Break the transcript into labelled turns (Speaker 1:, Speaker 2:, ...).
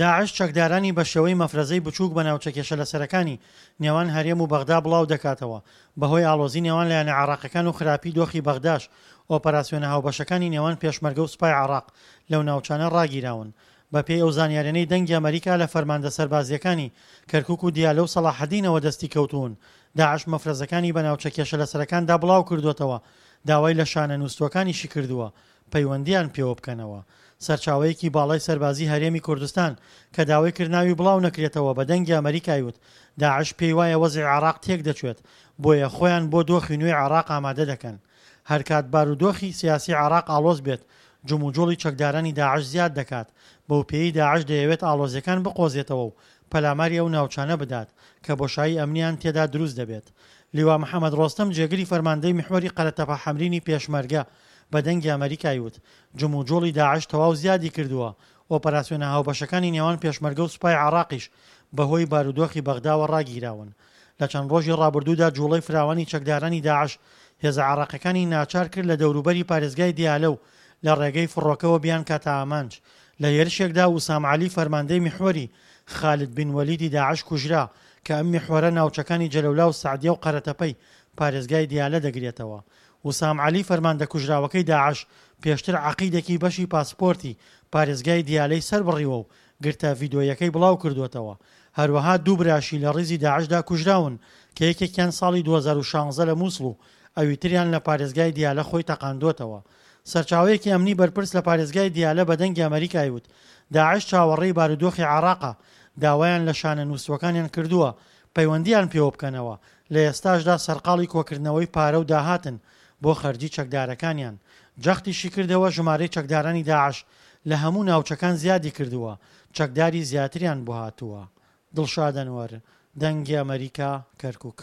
Speaker 1: داعش چەکدارانی بە شێوەی مەفرەزەی بچووک بە ناوچە کێشەلەسەرەکانی نێوان هەرێم و بەغدا بڵاو دەکاتەوە، بەهۆی ئاڵۆزی نێوان لایەنە عێراقیەکان و خراپی دۆخی بەغداش ئۆپەراسیۆنە هاوبەشەکانی نێوان پێشمەرگە و سوپای عێراق لەو ناوچانە ڕاگیراون. بەپێی ئەو زانیاریانەی دەنگی ئەمەریکا لە فەرماندە سەربازییەکانی کەرکوک و دیالە و سەڵاحەدینەوە دەستی کەوتوون، داعش مەفرەزەکانی بە ناوچە کێشەلەسەرەکاندا بڵاوکردووەتەوە، داوای لە شانە نووستووەکانیشی کردووە پەیوەندییان پێوە بکەنەوە. سەرچاوەیەکی باڵای سەربازی هەرێمی کوردستان کە داوای کرد ناوی بڵاو نەکرێتەوە بە دەنگی ئەمەریکای وت داعش پێی وایە وەزعی عێراق تێکدەچێت بۆیە خۆیان بۆ دۆخی نوێی عێراق ئامادە دەکەن. هەرکات بارودۆخی سیاسی عێراق ئاڵۆز بێت جموجوڵی چەکدارانی داعش زیاد دەکات، بەوپێیەی داعش دەیەوێت ئاڵۆزیەکان بقۆزێتەوە و پەلاماری ئەو ناوچانە بدات کە بۆشایی ئەمنیان تێدا دروست دەبێت. لیوا محەمەد ڕۆستەم جێگری فەرماندەی میحوەری قەرەتەپە حەمرینی پێشمەرگە بە دەنگی ئەمەریکای وت جموجوڵی داعش تەواو زیادی کردووە، ئۆپەراسیۆنە هاوبەشەکانی نێوان پێشمەرگە و سوپای عێراقیش بەهۆی بارودۆخی بەغداوە ڕاگیراون. لە چەند ڕۆژی ڕابردوودا جوڵەی فراوانی چەکدارانی داعش هێزە عێراقیەکانی ناچار کرد لە دەوروبەری پارێزگای دیالە و لە ڕێگەی فڕۆکەوە بیانکاتە ئامانج. لە هێرشێکدا وسام عەلی فەرماندەی میحوەری خالد بن وەلیدی داعش کوژرا کە ئەم میحوەرە ناوچەکانی جەلەولا و سەعدیە و قەرەتەپەی پارێزگای دیالە دەگرێتەوە. وسام عەلی فەرماندە کوژراوەکەی داعش پێشتر عەقیدێکی بەشی پاسپۆرتی پارێزگای دیالەی سەربڕیوە و گرتە ڤیدۆییەکەی بڵاوکردووەتەوە. هەروەها دوو براشی لە ڕیزی داعشدا کوژراون کە یەکێکیان ساڵی 2016 لە موسڵ و ئەویتریان لە پارێزگای دیالە خۆی تەقاندۆتەوە. سەرچاوەیەکی ئەمنی بەرپرس لە پارێزگای دیالە بە دەنگی ئەمەریکای وت داعش چاوەڕێی بارودۆخی عێراقە، داوایان لە شانە نووستووەکانیان کردووە پەیوەندییان پێوە بکەنەوە، لە ئێستاشدا سەرقاڵی کۆکردنەوەی پارە و داهاتن بۆ خەرجی چەکدارەکانیان. جەختیشی کردەوە ژمارەی چەکدارانی داعش لە هەموو ناوچەکان زیادی کردووە، چەکداری زیاتریان بۆ هاتووە. دڵشاد ئەنوەر، دەنگی ئەمەریکا، کەرکوک.